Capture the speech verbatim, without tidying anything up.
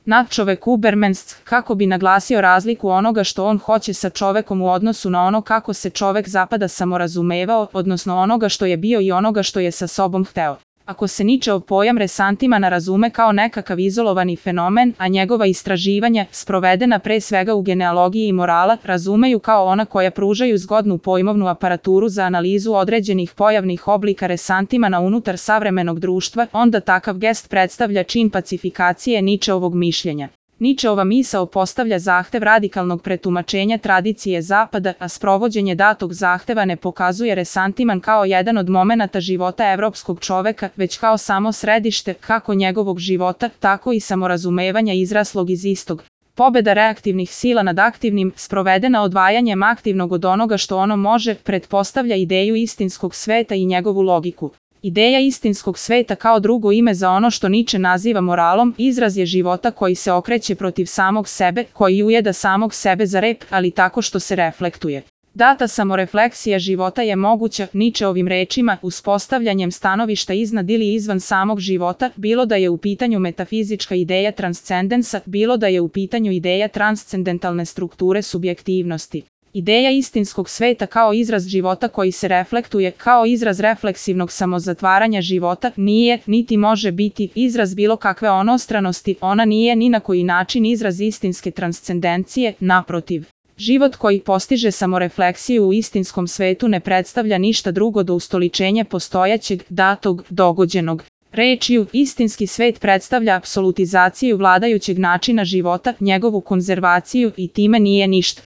Nadčovek Ubermensch, kako bi naglasio razliku onoga što on hoće sa čovekom u odnosu na ono kako se čovek zapada samorazumevao, odnosno onoga što je bio i onoga što je sa sobom hteo. Ako se Ničeov pojam resantimana razume kao nekakav izolovani fenomen, a njegova istraživanja, sprovedena pre svega u genealogiji i morala, razumeju kao ona koja pružaju zgodnu pojmovnu aparaturu za analizu određenih pojavnih oblika resantimana unutar savremenog društva, onda takav gest predstavlja čin pacifikacije Ničeovog mišljenja. Ničeova misao postavlja zahtev radikalnog pretumačenja tradicije Zapada, a sprovođenje datog zahteva ne pokazuje resantiman kao jedan od momenata života evropskog čoveka, već kao samo središte, kako njegovog života, tako i samorazumevanja izraslog iz istog. Pobeda reaktivnih sila nad aktivnim, sprovedena odvajanjem aktivnog od onoga što ono može, pretpostavlja ideju istinskog sveta i njegovu logiku. Ideja istinskog sveta kao drugo ime za ono što Niče naziva moralom, izraz je života koji se okreće protiv samog sebe, koji ujeda samog sebe za rep, ali tako što se reflektuje. Data samorefleksija života je moguća, Ničeovim rečima, uspostavljanjem stanovišta iznad ili izvan samog života, bilo da je u pitanju metafizička ideja transcendensa, bilo da je u pitanju ideja transcendentalne strukture subjektivnosti. Ideja istinskog sveta kao izraz života koji se reflektuje, kao izraz refleksivnog samozatvaranja života, nije, niti može biti, izraz bilo kakve onostranosti, ona nije ni na koji način izraz istinske transcendencije, naprotiv. Život koji postiže samorefleksiju u istinskom svetu ne predstavlja ništa drugo do ustoličenja postojaćeg, datog, dogođenog. Rečju, istinski svet predstavlja apsolutizaciju vladajućeg načina života, njegovu konzervaciju i time nije ništa.